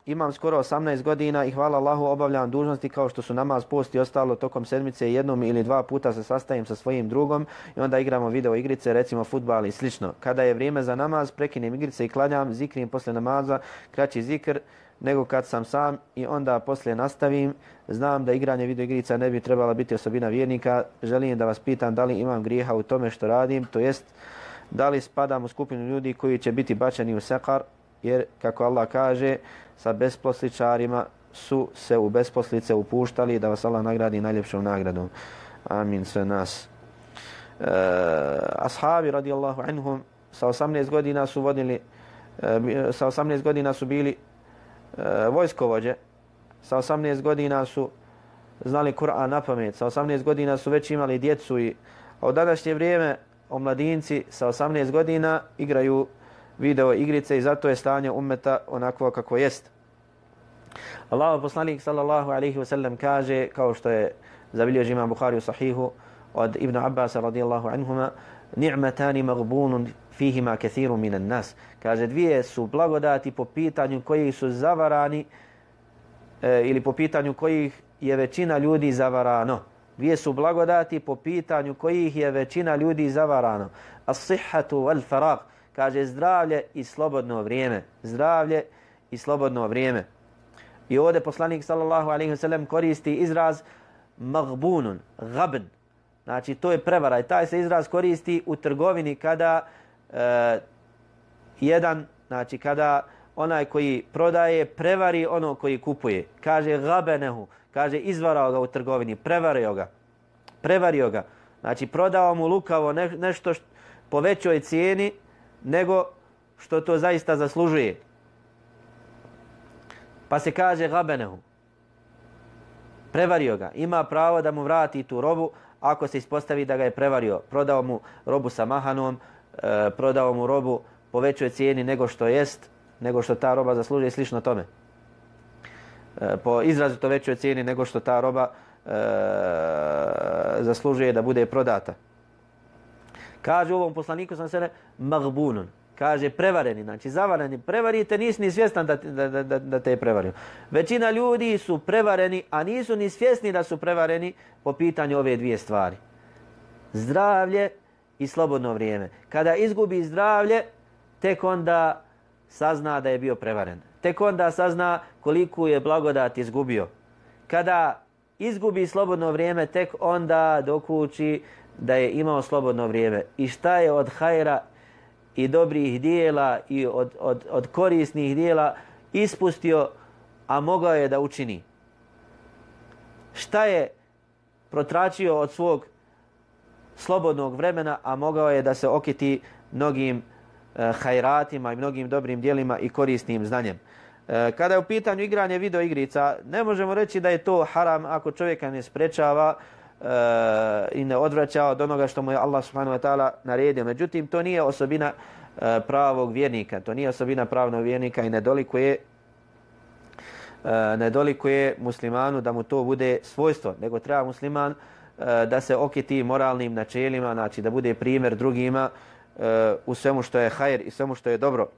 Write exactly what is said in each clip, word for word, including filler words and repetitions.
imam skoro osamnaest godina i hvala Allahu obavljam dužnosti kao što su namaz, post i ostalo tokom sedmice jednom ili dva puta se sastajem sa svojim drugom i onda igramo video igrice, recimo fudbal i slično. Kada je vrijeme za namaz, prekinem igrice i klanjam, zikrim posle namaza, kraći zikr nego kad sam sam i onda poslije nastavim. Znam da igranje video igrica ne bi trebala biti osobina vjernika. Želim da vas pitam da li imam grijeha u tome što radim, to jest da li spadam u skupinu ljudi koji će biti bačeni u sekar, jer kako Allah kaže, sa besposličarima su se u besposlice upuštali, da vas Allah nagradi najljepšom nagradom. Amin sve nas. E, ashabi radijallahu anhum sa osamnaest godina su vodili, e, sa osamnaest godina su bili e, vojskovođe, sa osamnaest godina su znali Kur'an na pamet, sa osamnaest godina su već imali djecu i a u današnje vrijeme omladinci sa osamnaest godina igraju video igrice i zato je stanje ummeta onako kako jest. Allahov poslanik sallallahu alejhi ve sellem kaže, kao što je zabilježio Imam Buhari u sahihu od Ibn Abbas radijallahu anhuma, ni'matani maghbunun fihima kathirun minan nas. Kaže, dvije su blagodati po pitanju kojih su zavarani e, ili po pitanju kojih je većina ljudi zavarano. Dvije su blagodati po pitanju kojih je većina ljudi zavarano. As-sihhatu wal farag. Kaže, zdravlje i slobodno vrijeme. Zdravlje i slobodno vrijeme. I ovdje poslanik sallallahu alejhi ve sellem koristi izraz maghbunun, gabn. Znači, to je prevara i taj se izraz koristi u trgovini kada e, jedan, znači kada onaj koji prodaje prevari ono koji kupuje. Kaže gabenehu, kaže izvarao ga u trgovini, prevario ga. Prevario ga. Znači, prodao mu lukavo ne, nešto što, po većoj cijeni nego što to zaista zaslužuje. Pa se kaže gabenehu. Prevario ga. Ima pravo da mu vrati tu robu ako se ispostavi da ga je prevario. Prodao mu robu sa mahanom, e, prodao mu robu po većoj cijeni nego što jest, nego što ta roba zaslužuje, slično tome. E, po izrazito većoj cijeni nego što ta roba e, zaslužuje da bude prodata. Kaže u ovom poslaniku sam se maghbunun. Kaže prevareni, znači zavareni, prevarite, nisi ni svjestan da, da, da, da te je prevario. Većina ljudi su prevareni, a nisu ni svjesni da su prevareni po pitanju ove dvije stvari. Zdravlje i slobodno vrijeme. Kada izgubi zdravlje, tek onda sazna da je bio prevaren. Tek onda sazna koliko je blagodat izgubio. Kada izgubi slobodno vrijeme, tek onda dokući da je imao slobodno vrijeme. I šta je od hajra i dobrih dijela i od, od, od korisnih dijela ispustio, a mogao je da učini. Šta je protračio od svog slobodnog vremena, a mogao je da se okiti mnogim e, hajratima i mnogim dobrim dijelima i korisnim znanjem. E, kada je u pitanju igranje video igrica, ne možemo reći da je to haram ako čovjeka ne sprečava Uh, i ne odvraća od onoga što mu je Allah subhanahu wa ta'ala naredio. Međutim, to nije osobina uh, pravog vjernika. To nije osobina pravnog vjernika i nedolikuje, uh, nedolikuje muslimanu da mu to bude svojstvo. Nego treba musliman uh, da se okiti moralnim načelima, znači da bude primjer drugima uh, u svemu što je hajr i svemu što je dobro.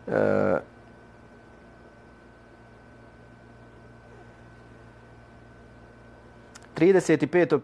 Uh, trideset peto